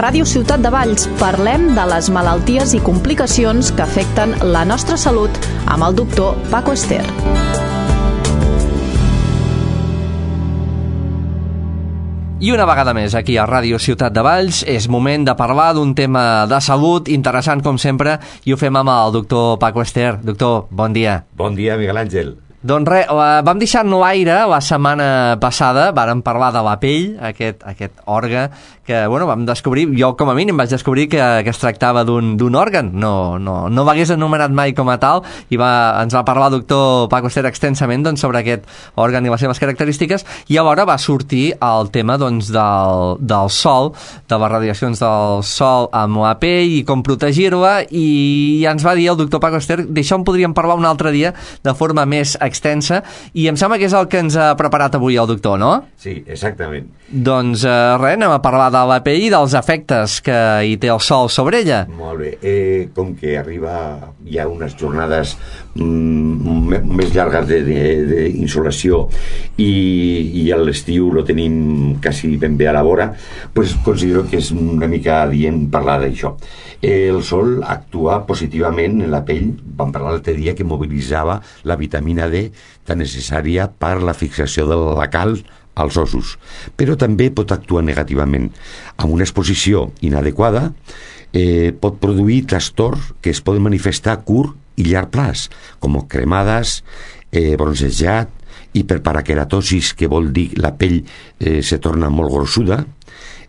Ràdio Ciutat de Valls parlem de les malalties i complicacions que afecten la nostra salut amb el doctor Paco Ester. I una vegada més, aquí a Ràdio Ciutat de Valls, és moment de parlar d'un tema de salut interessant com sempre, i ho fem amb el doctor Paco Ester. Doctor, bon dia. Bon dia, Miguel Àngel. Doncs res, vam deixar-nos l'aire la setmana passada, vàrem parlar de la pell, aquest òrgan que, bueno, vam descobrir, jo com a mínim vaig descobrir que es tractava d'un òrgan, no l'hagués anomenat mai com a tal, i ens va parlar el doctor Paco Ester extensament sobre aquest òrgan i les seves característiques, i alhora va sortir el tema del sol, de les radiacions del sol amb la pell i com protegir-la, i ens va dir el doctor Paco Ester, d'això en podríem parlar un altre dia de forma més extensa, i em sembla que és el que ens ha preparat avui el doctor, no? Sí, exactament. Doncs res, anem a parlar de la pell i dels efectes que hi té el sol sobre ella. Molt bé. Com que hi ha unes jornades més llargues d'insolació i a l'estiu lo tenim quasi ben bé a la vora, pues considero que és una mica adient parlar d'això. El sol actua positivament en la pell. Vam parlar l'altre dia que mobilitzava la vitamina D tan necessària per la fixació de la calç als ossos, però també pot actuar negativament. Amb una exposició inadequada pot produir trastorns que es poden manifestar a curt i llarg plaç, com cremades, bronzejat, hiperparaqueratosis, que vol dir la pell se torna molt grossuda,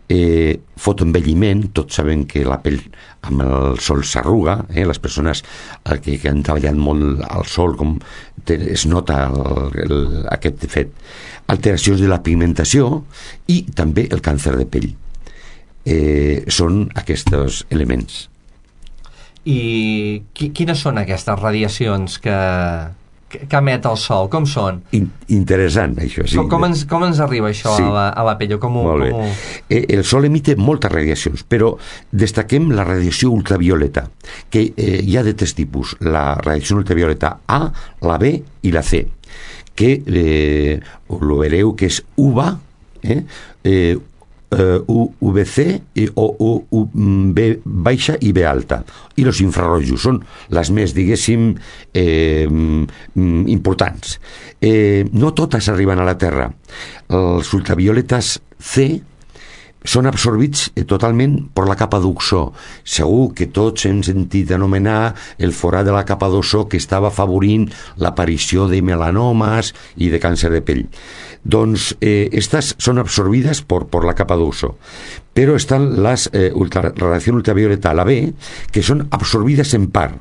fotoenvelliment. Tots sabem que la pell amb el sol s'arruga, les persones que han treballat molt al sol es nota aquest fet. Alteracions de la pigmentació i també el càncer de pell. Són aquests elements. I quines són aquestes radiacions que emet el sol? Com són? Interessant, això, sí. Com ens arriba això, sí, a la pell? Molt bé. El sol emite moltes radiacions, però destaquem la radiació ultravioleta, que hi ha de tres tipus: la radiació ultravioleta A, la B i la C, que ho veureu que és UVA, UVC o UV baixa i B alta, i els infrarrojos són les més, diguéssim, importants. No totes arriben a la Terra. Els ultravioletes C són absorbits totalment per la capa d'oxó. Segur que tots hem sentit anomenar el forat de la capa d'oxó que estava afavorint l'aparició de melanomes i de càncer de pell. Doncs estas són absorbides per la capa d'oxó. Però estan les radiacions ultravioleta, la B, que són absorbides en part,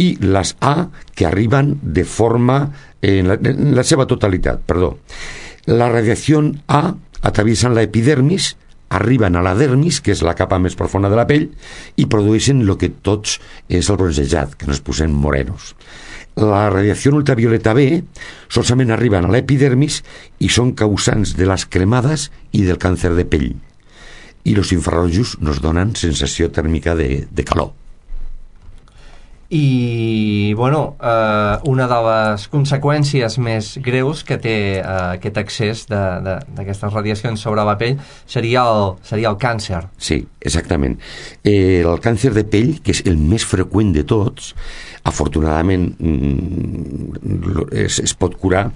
i les A, que arriben de forma en la seva totalitat, perdó. La radiació A atraviesan la epidermis, arriben a la dermis, que és la capa més profunda de la pell, i produeixen el que tots és el bronzejat, que ens posem morenos. La radiació ultravioleta B solament arriben a l'epidermis i són causants de les cremades i del càncer de pell. I els infrarrojos nos donen sensació tèrmica de calor. I, bueno, una de les conseqüències més greus que té aquest excés d'aquestes radiacions sobre la pell seria el càncer. Sí, exactament. El càncer de pell, que és el més freqüent de tots, afortunadament es pot curar,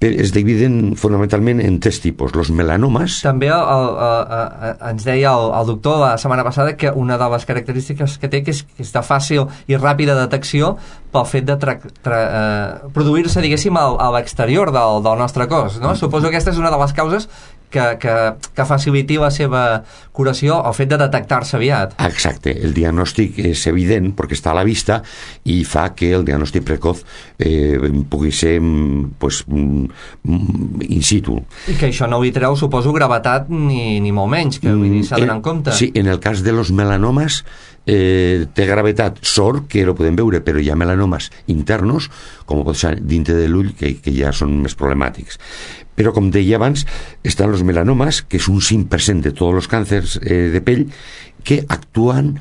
però es dividen fonamentalment en tres tipus. Los melanomes... També ens deia el doctor la setmana passada que una de les característiques que té que és de fàcil i ràpida detecció pel fet de produir-se, diguéssim, a l'exterior del nostre cos, no? Suposo que aquesta és una de les causes que faciliti la seva curació, el fet de detectar-se aviat. Exacte, el diagnòstic és evident perquè està a la vista i fa que el diagnòstic precoç pugui ser in situ. I que això no li treu, suposo, gravetat ni molt menys, que s'ha d'anar en compte. Sí, en el cas de los melanomes té gravetat, sort que ho podem veure, però hi ha melanomes internos, com pot ser dintre de l'ull, que ja són més problemàtics. Però, com deia abans, estan els melanomes, que és un 5% de tots els càncers de pell, que actuen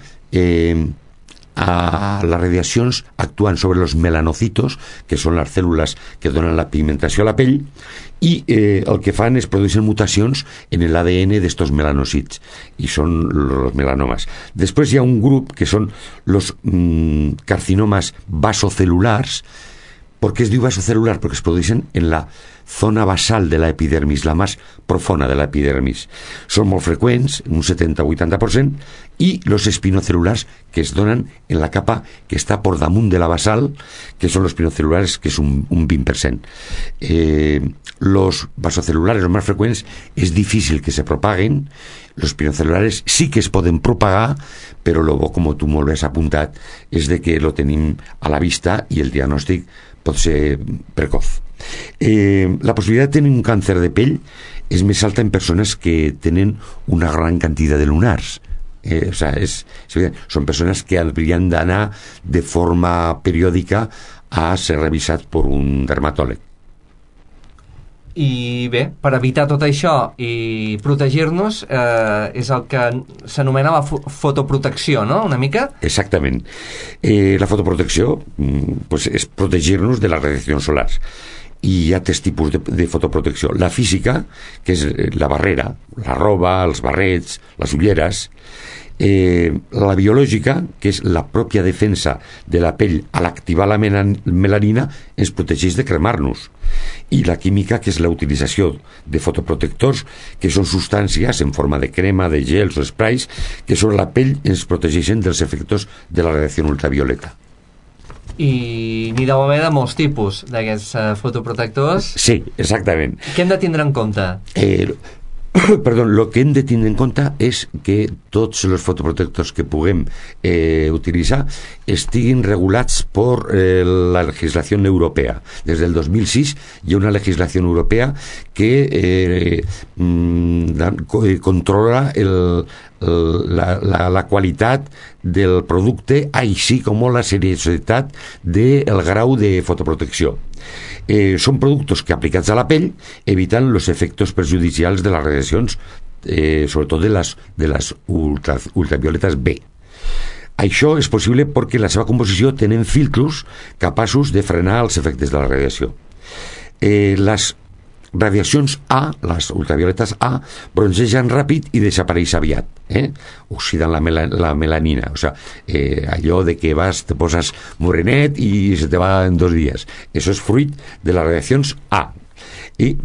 les radiacions actuen sobre els melanocitos, que són les cèl·lules que donen la pigmentació a la pell, i el que fan és produeixen mutacions en l'ADN d'estos melanòcits, i són els melanomes. Després hi ha un grup que són els carcinomes vasocel·lulars. ¿Por qué es diu vasocelular? Porque se producen en la zona basal de la epidermis, la más profunda de la epidermis. Són molt freqüents, un 70-80%, i los espinocelulars, que es donen en la capa que està por damunt de la basal, que són los espinocelulares, que és un 20%. Los vasocelulares, los más frecuents, és difícil que se propaguen. Los espinocelulares sí que es poden propagar, però lo bo, com tu molt bé has apuntat, és de que lo tenim a la vista i el diagnòstic pot ser precoz. La possibilitat de tenir un càncer de pell és més alta en persones que tenen una gran quantitat de lunars. Són persones que haurien d'anar de forma periòdica a ser revisats per un dermatòleg. I bé, per evitar tot això i protegir-nos és el que s'anomena la fotoprotecció, no? Una mica? Exactament. La fotoprotecció pues, és protegir-nos de les radiacions solars. I hi ha tres tipus de fotoprotecció. La física, que és la barrera, la roba, els barrets, les ulleres. La biològica, que és la pròpia defensa de la pell a l'activar la melanina, ens protegeix de cremar-nos. I la química, que és la utilització de fotoprotectors, que són substàncies en forma de crema, de gels o sprays, que sobre la pell ens protegeixen dels efectes de la radiació ultravioleta. I n'hi deu haver de molts tipus d'aquests fotoprotectors. Sí, exactament. Què hem de tindre en compte? Lo que hem de tindre en compte és que tots els fotoprotectors que puguem utilitzar estiguin regulats per la legislació europea. Des del 2006 hi ha una legislació europea que controla la qualitat del producte, així com la seriositat del grau de fotoprotecció. Són productes que aplicats a la pell eviten els efectes perjudicials de les radiacions, sobretot de les ultravioletes B. Això és possible perquè la seva composició tenen filtros capaços de frenar els efectes de la radiació. Les radiacions A, les ultravioletes A, bronzegen ràpid i desapareix aviat, oxiden la melanina, allò de que te poses morenet i se te va en 2 dies. Això és fruit de les radiacions A.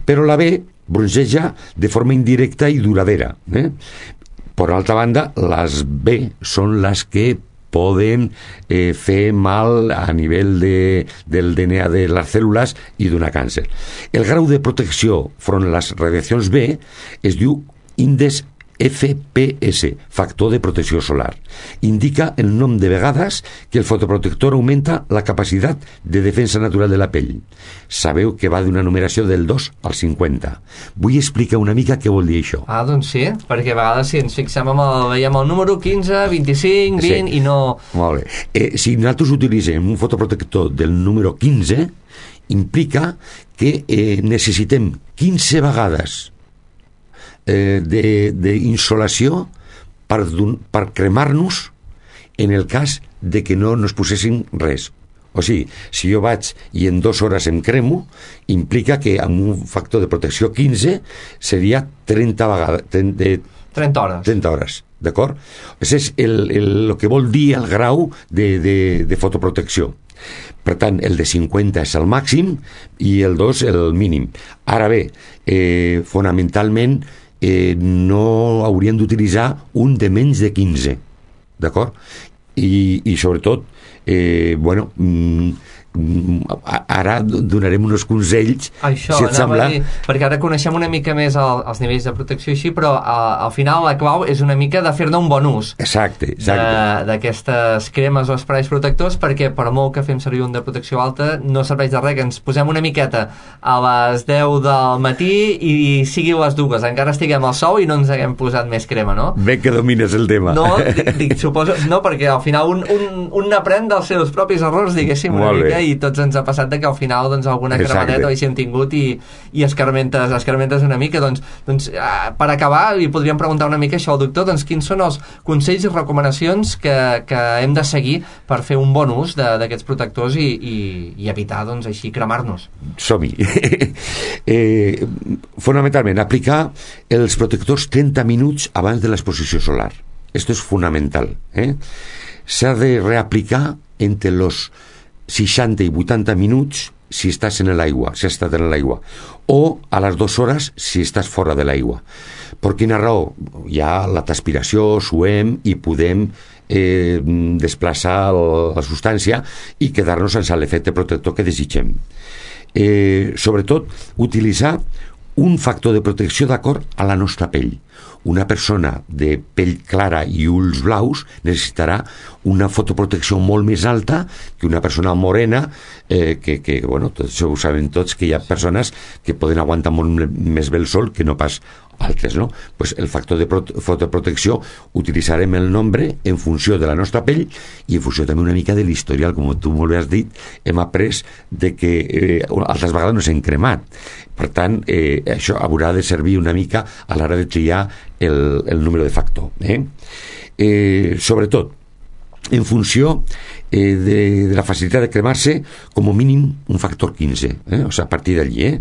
Però la B bronzeja de forma indirecta i duradera. Per altra banda, les B són les que poden fer mal a nivell del DNA de les cèl·lules i donar càncer. El grau de protecció front a les radiacions B es diu índex FPS, factor de protecció solar. Indica el nom de vegades que el fotoprotector augmenta la capacitat de defensa natural de la pell. Sabeu que va d'una numeració del 2 al 50. Vull explicar una mica què vol dir això. Doncs sí, perquè a vegades si ens fixem veiem el número 15, 25, 20 sí. I no... Molt bé. Si nosaltres utilitzem un fotoprotector del número 15, implica que necessitem 15 vegades d'insolació per cremar-nos en el cas de que no ens posessin res. O sigui, si jo vaig i en 2 hores em cremo, implica que amb un factor de protecció 15 seria 30 vegades 30 hores. 30 hores, d'acord? Això és el que vol dir el grau de fotoprotecció. Per tant, el de 50 és el màxim i el 2 el mínim. Ara bé, fonamentalment no haurien d'utilitzar un de menys de 15, d'acord? I sobretot, ara donarem uns consells, això, si et sembla. Perquè ara coneixem una mica més els nivells de protecció així, però al final la clau és una mica de fer-ne un bon ús. Exacte. D'aquestes cremes o esprais protectors, perquè per molt que fem servir un de protecció alta no serveix de res que ens posem una miqueta a les 10 del matí i sigui les 2, encara estiguem al sol i no ens haguem posat més crema, no? Bé que domines el tema. No, suposo, no, perquè al final un n'aprèn dels seus propis errors, diguéssim, una mica, i tots ens ha passat que al final doncs, alguna cremadeta o així hem tingut i escarmentes una mica. Doncs, per acabar, li podríem preguntar una mica això al doctor, doncs quins són els consells i recomanacions que hem de seguir per fer un bon ús d'aquests protectors i evitar, doncs, així, cremar-nos. Som-hi. Fonamentalment, aplicar els protectors 30 minuts abans de l'exposició solar. Esto es fundamental. S'ha de reaplicar entre los 60 i 80 minuts si estàs en l'aigua, si has estat en l'aigua, o a les 2 hores si estàs fora de l'aigua. Per quina raó? Hi ha la transpiració, suem i podem desplaçar la substància i quedar-nos sense l'efecte protector que desitgem. Sobretot, utilitzar un factor de protecció d'acord a la nostra pell. Una persona de pell clara i ulls blaus necessitarà una fotoprotecció molt més alta que una persona morena que bueno, tots ho sabem tots, que hi ha persones que poden aguantar molt més bé el sol que no pas altres, no? Pues el factor de fotoprotecció utilitzarem el nombre en funció de la nostra pell i en funció també una mica de l'historial, com tu molt bé has dit, hem après de que altres vegades no s'hem cremat. Per tant, això haurà de servir una mica a l'hora de triar el número de factor. Sobretot, en funció de la facilitat de cremar-se, com a mínim un factor 15, o sea, a partir d'allí.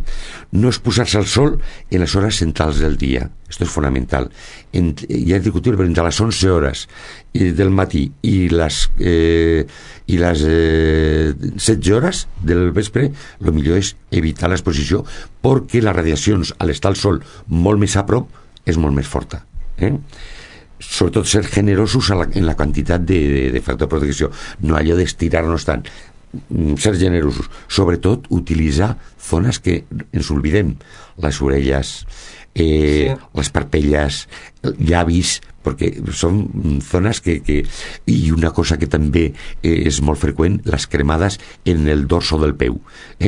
No exposar-se al sol en les hores centrals del dia. Esto es fundamental. Ja és discutible, però entre les 11 hores del matí i les 16 hores del vespre, el millor és evitar l'exposició, perquè les radiacions a l'estar al sol molt més a prop és molt més forta. Sobretot ser generosos en la quantitat de factor de protecció, no allò d'estirar-nos tant, ser generosos, sobretot utilitzar zones que ens oblidem, les orelles, les parpelles, llavis, perquè són zones que... I una cosa que també és molt freqüent, les cremades en el dorso del peu.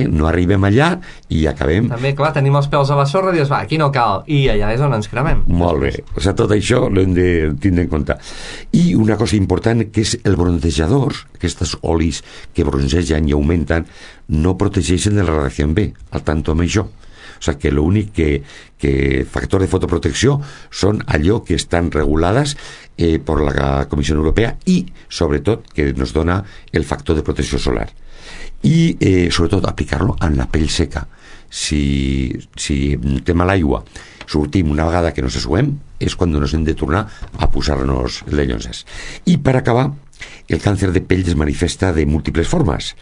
No arribem allà i acabem... També, clar, tenim els peus a la sorra i dius, va, aquí no cal, i allà és on ens cremem. Molt bé, o sigui, tot això l'hem de tindre en compte. I una cosa important, que és el bronzejador, aquests olis que bronzegen i augmenten, no protegeixen de la radiació B, al tanto amb això. O sigui que l'únic que factor de fotoprotecció són allò que estan regulades per la Comissió Europea i, sobretot, que ens dona el factor de protecció solar. I, sobretot, aplicar-lo en la pell seca. Si estem a l'aigua, sortim una vegada que no se suem, és quan ens hem de tornar a posar-nos les llonzes. I, per acabar, el càncer de pell es manifesta de múltiples formes.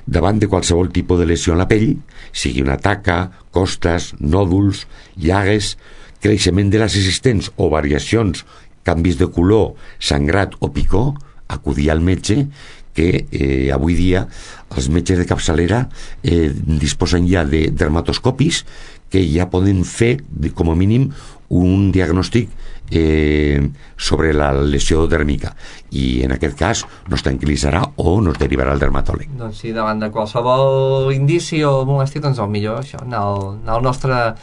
Davant de qualsevol tipus de lesió en la pell, sigui una taca, costes, nòduls, llagues, creixement de les existents o variacions, canvis de color, sangrat o picor, acudir al metge, que avui dia els metges de capçalera disposen ja de dermatoscopis que ja poden fer, com a mínim, un diagnòstic sobre la lesió dèrmica, i en aquest cas nos tranquil·litzarà o nos derivarà al dermatòleg. Doncs sí, davant de qualsevol indici o molèstia, doncs el millor això, anar al nostre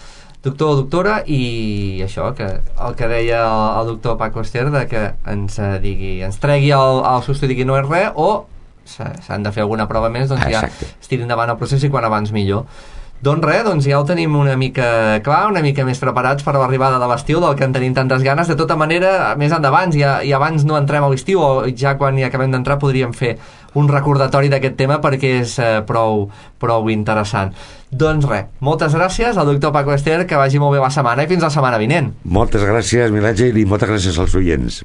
doctor o doctora, i això, que el que deia el doctor Paco Ester, de que ens tregui el susto i digui no és res, o s'han de fer alguna prova més, doncs ja es tiri endavant el procés i quan abans millor. Doncs res, doncs ja ho tenim una mica clar, una mica més preparats per a l'arribada de l'estiu, del que en tenim tantes ganes. De tota manera, més endavant, i abans no entrem a l'estiu, o ja quan hi acabem d'entrar podríem fer un recordatori d'aquest tema, perquè és prou interessant. Doncs res, moltes gràcies al doctor Paco Ester, que vagi molt bé la setmana i fins la setmana vinent. Moltes gràcies, Miguel Àngel, i moltes gràcies als oients.